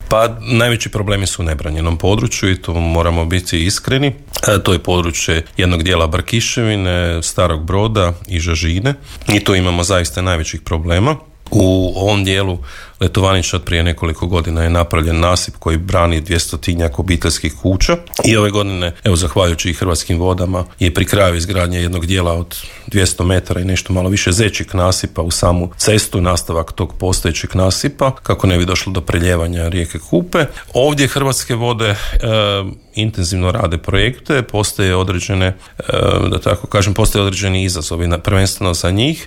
Pa najveći problemi su u nebranjenom području i tu moramo biti iskreni. To je područje jednog dijela Brkiševine, Starog Broda i Žažine i tu imamo zaista najvećih problema. U ovom dijelu Letovanića od prije nekoliko godina je napravljen nasip koji brani 200-tinjak obiteljskih kuća i ove godine, evo zahvaljujući i Hrvatskim vodama, je pri kraju izgradnje jednog dijela od 200 metara i nešto malo više zećeg nasipa u samu cestu, nastavak tog postojećeg nasipa kako ne bi došlo do preljevanja rijeke Kupe. Ovdje Hrvatske vode intenzivno rade projekte, postoje određene, da tako kažem, postoje određeni izazovi, prvenstveno za njih.